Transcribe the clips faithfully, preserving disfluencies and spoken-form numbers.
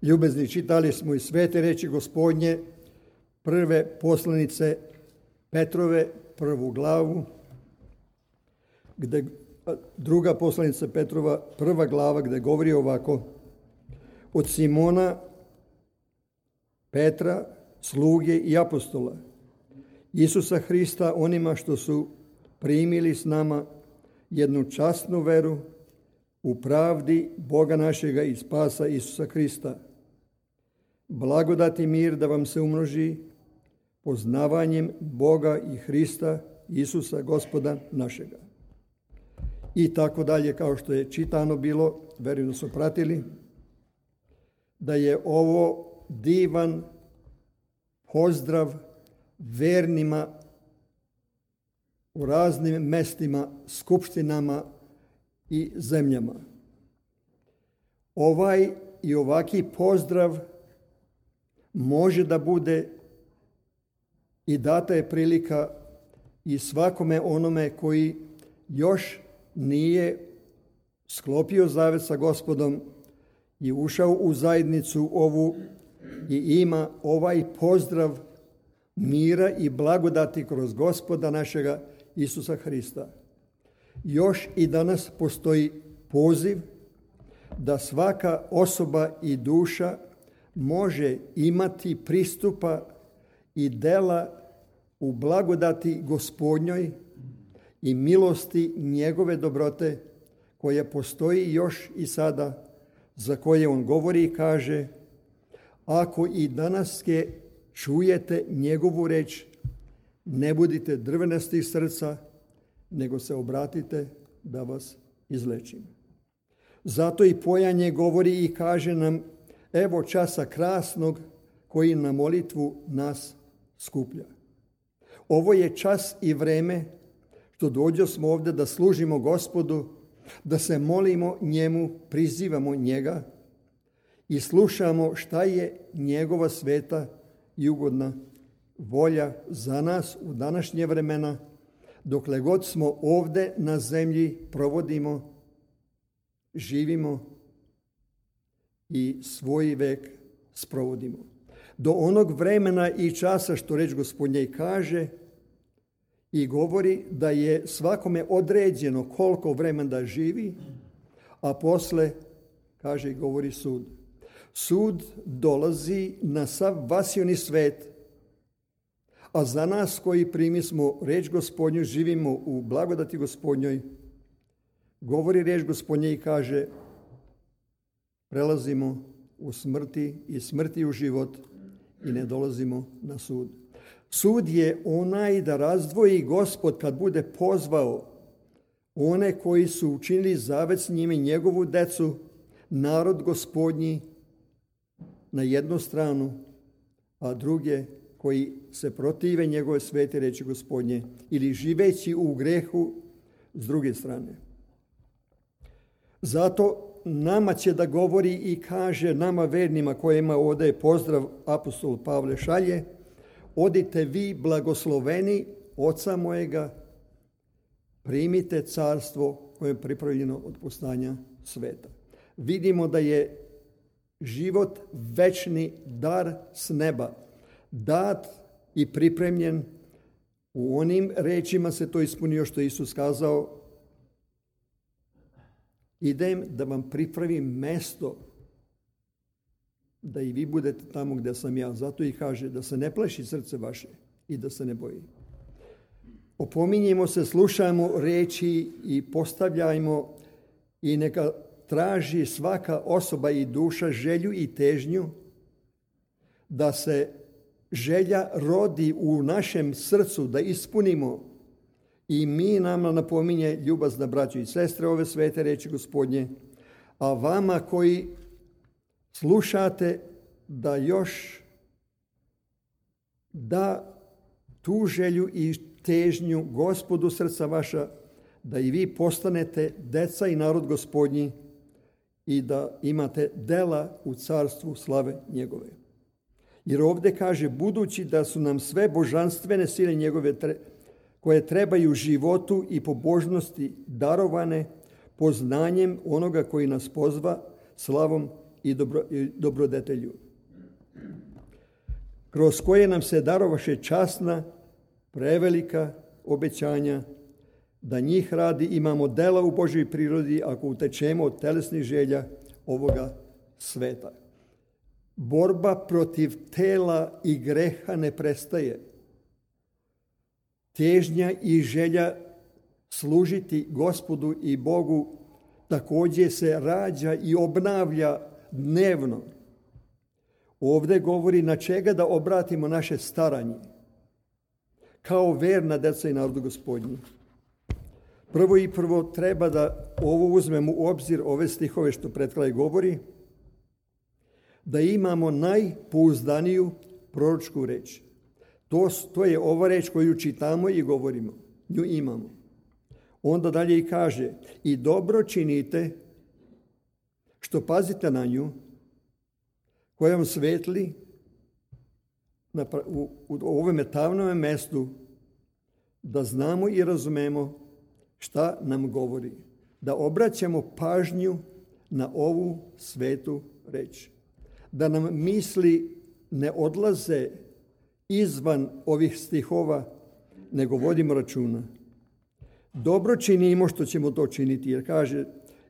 Ljubezni, čitali smo i svete reči Gospodnje, prve poslanice Petrove, prvu glavu, gde, druga poslanica Petrova, prva glava, gde govori ovako: od Simona, Petra, sluge i apostola, Isusa Hrista, onima što su primili s nama jednu časnu veru u pravdi Boga našega i spasa Isusa Hrista. Blagodat i mir da vam se umnoži poznavanjem Boga i Hrista Isusa Gospoda našega. I tako dalje, kao što je čitano bilo, verujem da su pratili, da je ovo divan pozdrav vernima u raznim mestima, skupštinama i zemljama. Ovaj i ovaki pozdrav može da bude i data je prilika i svakome onome koji još nije sklopio zavet sa Gospodom i ušao u zajednicu ovu i ima ovaj pozdrav mira i blagodati kroz Gospoda našega Isusa Hrista. Još i danas postoji poziv da svaka osoba i duša može imati pristupa i dela u blagodati Gospodnjoj i milosti njegove dobrote koja postoji još i sada, za koje on govori i kaže: ako i danas čujete njegovu reč, ne budite drvenasti srca, nego se obratite da vas izlečim. Zato i pojanje govori i kaže nam: evo časa krasnog koji na molitvu nas skuplja. Ovo je čas i vreme što dođo smo ovdje da služimo Gospodu, da se molimo njemu, prizivamo njega i slušamo šta je njegova sveta i ugodna volja za nas u današnje vremena, dokle god smo ovdje na zemlji provodimo, živimo i svoj vek sprovodimo. Do onog vremena i časa što reč Gospodnja i kaže i govori da je svakome određeno koliko vremena da živi, a posle, kaže i govori sud. Sud dolazi na sav vasioni svet, a za nas koji primismo reč Gospodnju, živimo u blagodati Gospodnjoj, govori reč Gospodnja i kaže: prelazimo u smrti i smrti u život i ne dolazimo na sud. Sud je onaj da razdvoji Gospod kad bude pozvao one koji su učinili zavet s njime, njegovu decu, narod Gospodnji, na jednu stranu, a druge koji se protive njegove svete reči Gospodnje ili živeći u grehu s druge strane. Zato nama će da govori i kaže nama vernima kojima ovdje je pozdrav apostol Pavle šalje: odite vi blagosloveni oca mojega, primite carstvo koje je pripravljeno od postanja sveta. Vidimo da je život večni dar s neba, dat i pripremljen. U onim rečima se to ispunio što je Isus kazao: idem da vam pripravim mesto da i vi budete tamo gdje sam ja. Zato i kaže da se ne plaši srce vaše i da se ne boji. Opominjemo se, slušajmo reči i postavljajmo i neka traži svaka osoba i duša želju i težnju da se želja rodi u našem srcu, da ispunimo. I mi nama napominje ljubazna braćo i sestre ove svete reči Gospodnje, a vama koji slušate da još da tu želju i težnju Gospodu srca vaša, da i vi postanete deca i narod Gospodnji i da imate dela u carstvu slave njegove. Jer ovdje kaže: budući da su nam sve božanstvene sile njegove koje trebaju životu i pobožnosti darovane poznanjem onoga koji nas pozva slavom i, dobro, i dobrodetelju, kroz koje nam se darovaše časna, prevelika obećanja, da njih radi imamo dela u Božoj prirodi ako utečemo od telesnih želja ovoga sveta. Borba protiv tela i greha ne prestaje. Težnja i želja služiti Gospodu i Bogu također se rađa i obnavlja dnevno. Ovdje govori na čega da obratimo naše staranje, kao verna deca i narodu Gospodnji. Prvo i prvo treba da ovo uzmemo u obzir, ove stihove što pred kraj govori, da imamo najpouzdaniju proročku reč. To, to je ova reč koju čitamo i govorimo. Nju imamo. Onda dalje i kaže, i dobro činite što pazite na nju, koja vam svetli na, u, u ovome tamnome mestu, da znamo i razumemo šta nam govori. Da obraćamo pažnju na ovu svetu reč. Da nam misli ne odlaze izvan ovih stihova, nego vodimo računa. Dobro činimo što ćemo to činiti, jer kaže,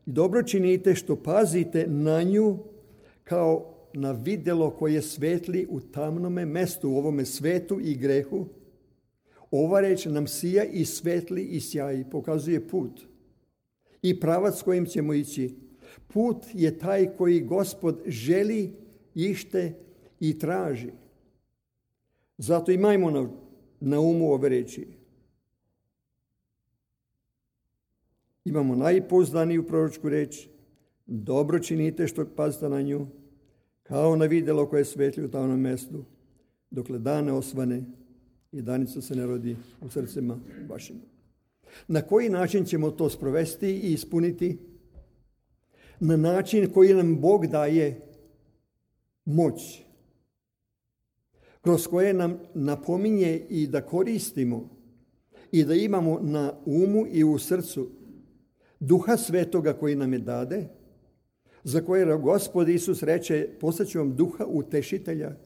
dobro činite što pazite na nju kao na vidjelo koje svetli u tamnome mestu, u ovome svetu i grehu. Ova reč nam sija i svetli i sjaji, pokazuje put i pravac kojim ćemo ići. Put je taj koji Gospod želi, ište i traži. Zato imajmo na, na umu ove reči. Imamo najpouzdaniju proročku reč, dobro činite što pazite na nju, kao na vidjelo koje svetli u tamnom mestu, dokle dan ne osvane i danica se ne rodi u srcima vašima. Na koji način ćemo to sprovesti i ispuniti? Na način koji nam Bog daje moć, kroz koje nam napominje i da koristimo i da imamo na umu i u srcu Duha Svetoga koji nam je dade, za koje Gospod Isus reče, poslaću vam Duha Utešitelja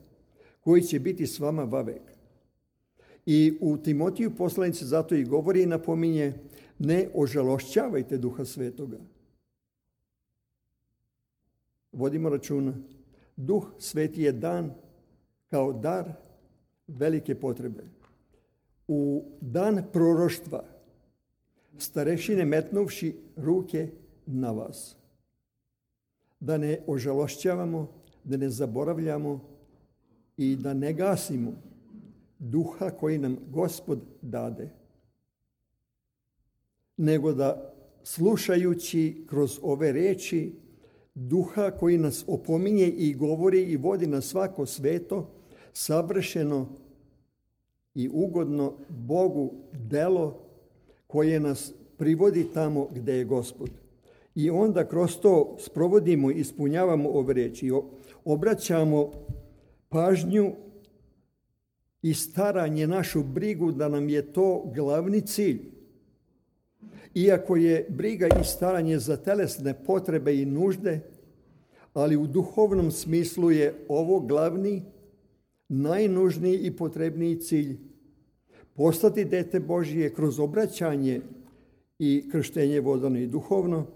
koji će biti s vama vavek. I u Timotiju poslanici zato i govori i napominje, ne ožalošćavajte Duha Svetoga. Vodimo računa. Duh Sveti je dan kao dar velike potrebe. U dan proroštva starešine metnuvši ruke na vas. Da ne ožalošćavamo, da ne zaboravljamo i da ne gasimo duha koji nam Gospod dade. Nego da slušajući kroz ove reči duha koji nas opominje i govori i vodi na svako sveto, savršeno i ugodno Bogu delo koje nas privodi tamo gdje je Gospod. I onda kroz to sprovodimo i ispunjavamo ove reči. Obraćamo pažnju i staranje, našu brigu da nam je to glavni cilj. Iako je briga i staranje za telesne potrebe i nužde, ali u duhovnom smislu je ovo glavni, najnužniji i potrebniji cilj. Postati dete Božije kroz obraćanje i krštenje vodano i duhovno,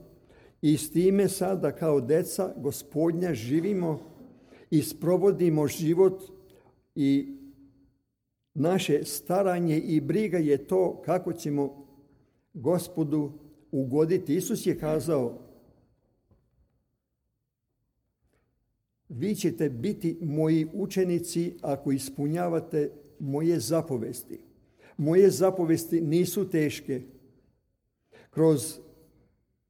i s time sada kao deca Gospodnja živimo i sprovodimo život i naše staranje i briga je to kako ćemo Gospodu ugoditi. Isus je kazao, vi ćete biti moji učenici ako ispunjavate moje zapovesti. Moje zapovesti nisu teške. Kroz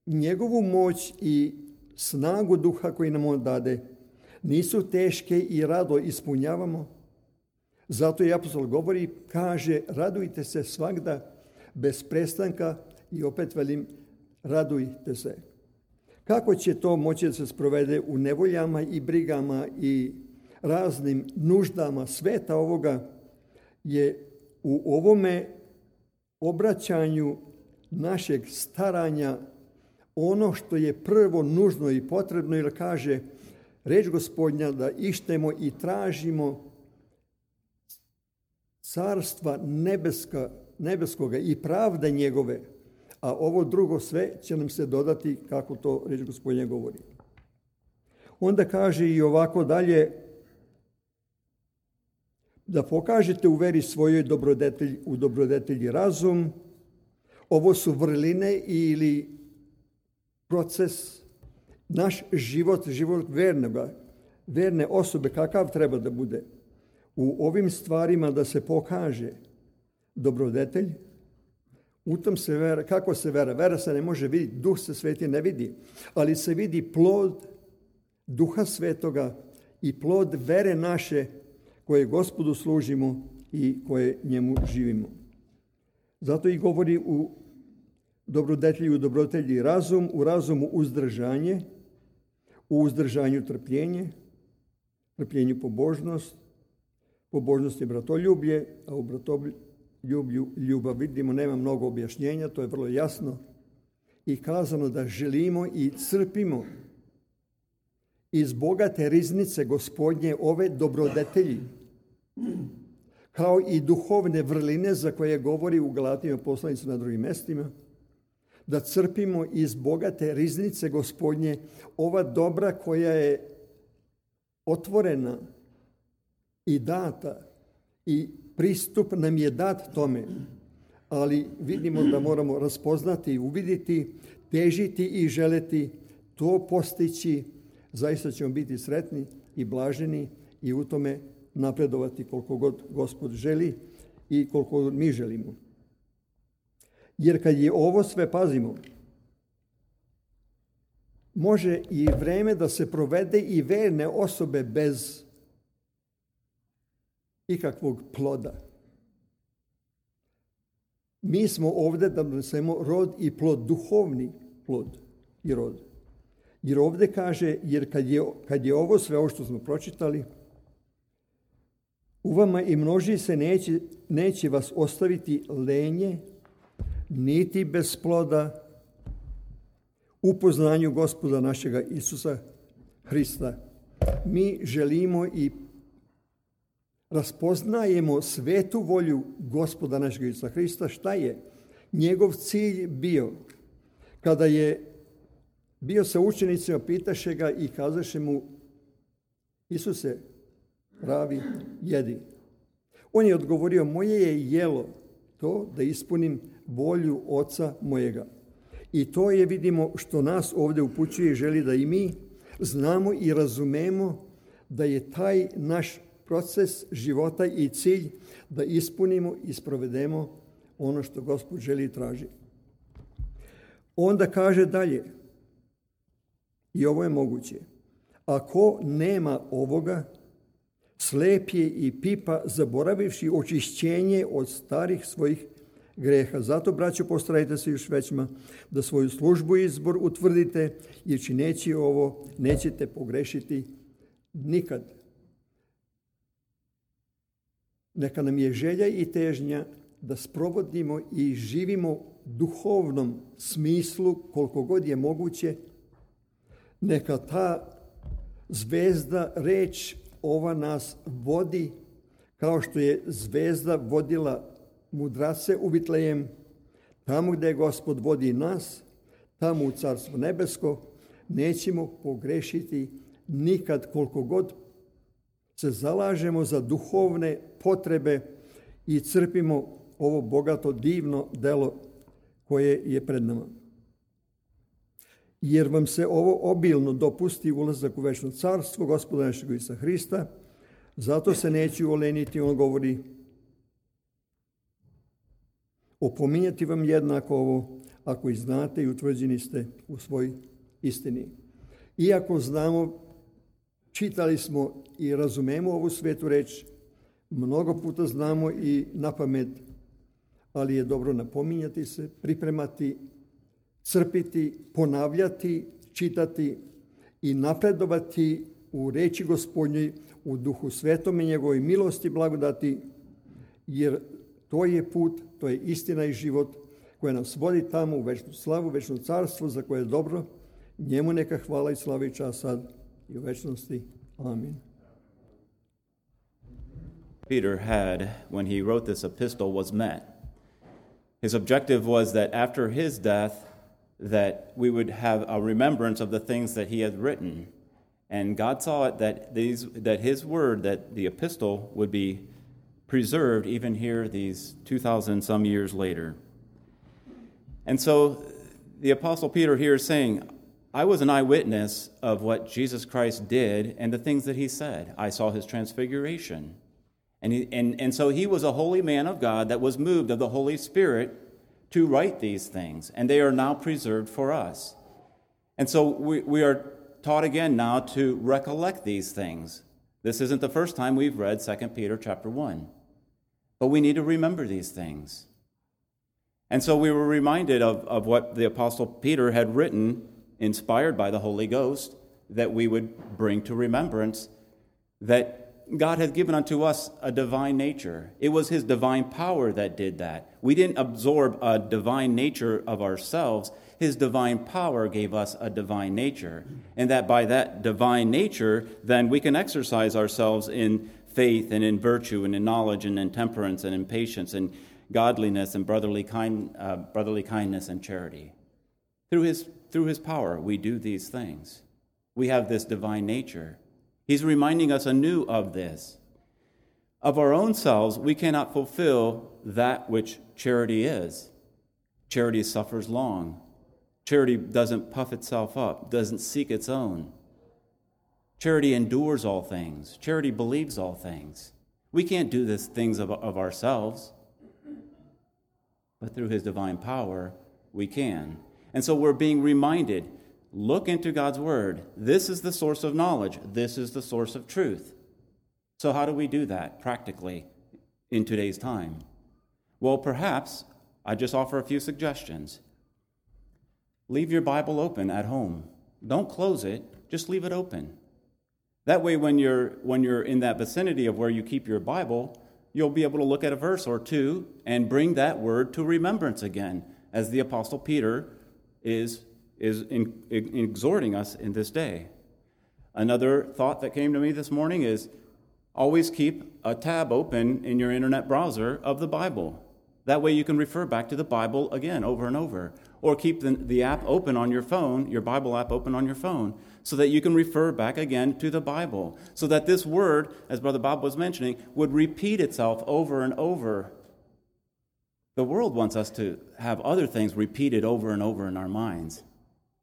njegovu moć i snagu duha koji nam on dade, nisu teške i rado ispunjavamo. Zato i apostol govori, kaže, radujte se svagda bez prestanka i opet velim, radujte se. Kako će to moći da se sprovede u nevoljama i brigama i raznim nuždama sveta ovoga, je u ovome obraćanju našeg staranja ono što je prvo nužno i potrebno, jer kaže, reč Gospodnja, da ištemo i tražimo carstva nebeska, nebeskoga i pravde njegove, a ovo drugo sve će nam se dodati, kako to reč Gospodnja govori. Onda kaže i ovako dalje, da pokažete u veri svojoj dobrodetelj, u dobrodetelji razum. Ovo su vrline ili proces, naš život, život vernoga, verne osobe, kakav treba da bude. U ovim stvarima da se pokaže dobrodetelj, u tom se vera, kako se vera? Vera se ne može vidjeti, Duh se sveti ne vidi, ali se vidi plod Duha Svetoga i plod vere naše koje Gospodu služimo i koje njemu živimo. Zato i govori u dobrodetelju, u dobrodetelji razum, u razumu uzdržanje, u uzdržanju trpljenje, trpljenju pobožnost, pobožnost je bratoljublje, a u bratoljublju ljubav. Vidimo, nema mnogo objašnjenja, to je vrlo jasno i kazano da želimo i crpimo iz bogate riznice Gospodnje ove dobrodetelji, kao i duhovne vrline za koje govori u Galatijima poslanicu na drugim mestima, da crpimo iz bogate riznice Gospodnje ova dobra koja je otvorena i data i pristup nam je dat tome, ali vidimo da moramo raspoznati, uviditi, težiti i želeti to postići. Zaista ćemo biti sretni i blaženi i u tome napredovati koliko god Gospod želi i koliko mi želimo. Jer kad je ovo sve, pazimo, može i vreme da se provede i verne osobe bez ikakvog ploda. Mi smo ovdje da donesemo rod i plod, duhovni plod i rod. Jer ovdje kaže, jer kad je, kad je ovo sve ovo što smo pročitali, u vama i množi se neće, neće vas ostaviti lenje, niti bez ploda u poznanju Gospoda našega Isusa Hrista. Mi želimo i raspoznajemo svetu volju Gospoda našega Isusa Hrista. Šta je njegov cilj bio? Kada je bio sa učenicima, pitaše ga i kazaše mu: Isuse, pravi, jedi. On je odgovorio: moje je jelo to da ispunim volju Oca mojega. I to je, vidimo, što nas ovdje upućuje i želi da i mi znamo i razumemo da je taj naš proces života i cilj da ispunimo i sprovedemo ono što Gospod želi i traži. Onda kaže dalje, i ovo je moguće: ako nema ovoga, slep je i pipa, zaboravivši očišćenje od starih svojih greha. Zato, braćo, postarajte se još većma da svoju službu i izbor utvrdite, jer čineći ovo nećete pogrešiti nikad. Neka nam je želja i težnja da sprovodimo i živimo duhovnom smislu koliko god je moguće. Neka ta zvezda, reč ova nas vodi, kao što je zvezda vodila mudrace u Vitlejem, tamo gdje Gospod vodi nas, tamo u Carstvo nebesko, nećemo pogrešiti nikad koliko god se zalažemo za duhovne potrebe i crpimo ovo bogato, divno delo koje je pred nama. Jer vam se ovo obilno dopusti ulazak u večno carstvo Gospoda našeg Isusa Hrista, zato se neću oleniti, on govori, opominjati vam jednako ovo, ako i znate i utvrđeni ste u svoj istini. Iako znamo, čitali smo i razumemo ovu svetu reč, mnogo puta znamo i na pamet, ali je dobro napominjati se, pripremati, crpiti, ponavljati, čitati i napredovati u reči Gospodnjoj, u Duhu Svetom i njegovoj milosti, blagodati, jer to je put, to je istina i život koja nas vodi tamo u večnu slavu, večno carstvo za koje je dobro. Njemu neka hvala i slava i čast sad i u večnosti. Amin. Peter had, when he wrote this epistle, was met. His objective was that after his death, that we would have a remembrance of the things that he had written. And God saw it that these that his word, that the epistle, would be preserved even here these two thousand some years later. And so the Apostle Peter here is saying, I was an eyewitness of what Jesus Christ did and the things that he said. I saw his transfiguration. And, he, and, and so he was a holy man of God that was moved of the Holy Spirit to write these things. And they are now preserved for us. And so we, we are taught again now to recollect these things. This isn't the first time we've read Second Peter chapter one. But we need to remember these things. And so we were reminded of, of what the Apostle Peter had written, inspired by the Holy Ghost, that we would bring to remembrance that God had given unto us a divine nature. It was his divine power that did that. We didn't absorb a divine nature of ourselves. His divine power gave us a divine nature. And that by that divine nature, then we can exercise ourselves in faith and in virtue and in knowledge and in temperance and in patience and godliness and brotherly kind, uh, brotherly kindness and charity. Through his, through his power, we do these things. We have this divine nature. He's reminding us anew of this. Of our own selves, we cannot fulfill that which charity is. Charity suffers long. Charity doesn't puff itself up, doesn't seek its own. Charity endures all things. Charity believes all things. We can't do these things of, of ourselves. But through his divine power, we can. And so we're being reminded, look into God's word. This is the source of knowledge. This is the source of truth. So how do we do that practically in today's time? Well, perhaps I just offer a few suggestions. Leave your Bible open at home. Don't close it. Just leave it open. That way, when you're when you're in that vicinity of where you keep your Bible, you'll be able to look at a verse or two and bring that word to remembrance again, as the Apostle Peter is, is in, in exhorting us in this day. Another thought that came to me this morning is always keep a tab open in your internet browser of the Bible. That way you can refer back to the Bible again over and over. Or keep the, the app open on your phone, your Bible app open on your phone, so that you can refer back again to the Bible. So that this word, as Brother Bob was mentioning, would repeat itself over and over. The world wants us to have other things repeated over and over in our minds.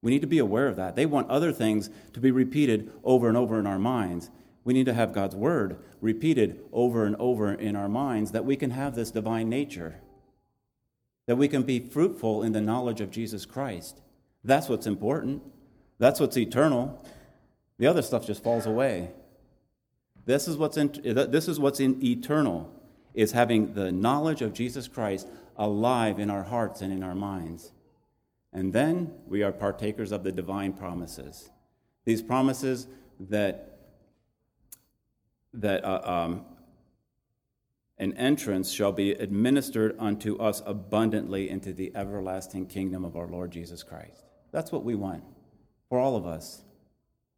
We need to be aware of that. They want other things to be repeated over and over in our minds. We need to have God's word repeated over and over in our minds, that we can have this divine nature, that we can be fruitful in the knowledge of Jesus Christ. That's what's important. That's what's eternal. The other stuff just falls away. This is what's in, this is what's in eternal, is having the knowledge of Jesus Christ alive in our hearts and in our minds. And then we are partakers of the divine promises. These promises that that uh, um, an entrance shall be administered unto us abundantly into the everlasting kingdom of our Lord Jesus Christ. That's what we want for all of us.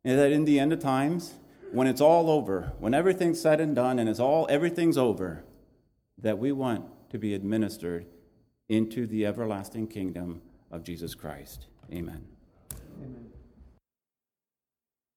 And that in the end of times, when it's all over, when everything's said and done and it's all everything's over, that we want to be administered into the everlasting kingdom of Jesus Christ. Amen. Amen.